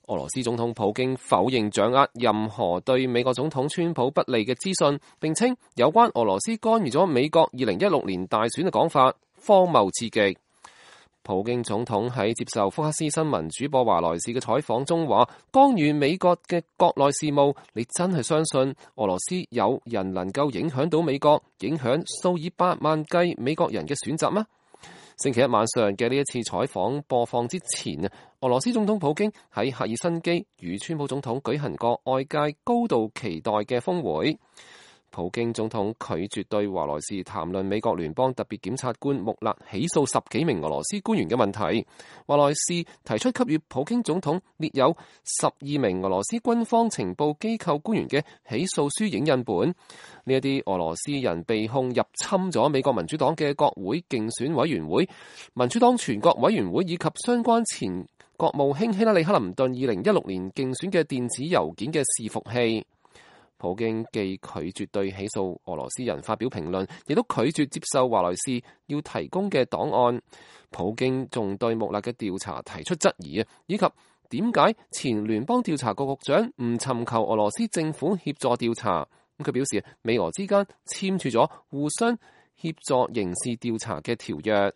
俄羅斯總統普京否認掌握任何對美國總統川普不利嘅資訊，並稱有關俄羅斯干預咗美國2016年大選嘅講法荒謬至極。普京總統喺接受福克斯新聞主播華萊士嘅採訪中話：干預美國嘅國內事務，你真係相信俄羅斯有人能夠影響到美國，影響數以百萬計美國人嘅選擇嗎？星期一晚上嘅呢一次採訪播放之前啊，俄羅斯總統普京喺赫爾辛基與川普總統舉行過外界高度期待嘅峰會。普京總統拒絕對華萊士談論美國聯邦特別檢察官穆勒起訴10幾名俄羅斯官員嘅問題。華萊士提出給予普京總統列有12名俄羅斯軍方情報機構官員嘅起訴書影印本。呢一啲俄羅斯人被控入侵咗美國民主黨嘅國會競選委員會、民主黨全國委員會以及相關前國務卿希拉里克林頓2016年競選嘅電子郵件嘅伺服器。普京既拒絕對起訴俄羅斯人發表評論，亦都拒絕接受華萊士要提供嘅檔案。普京仲對穆勒嘅調查提出質疑啊，以及點解前聯邦調查局局長唔尋求俄羅斯政府協助調查。佢表示美俄之間簽署咗互相協助刑事調查嘅條約。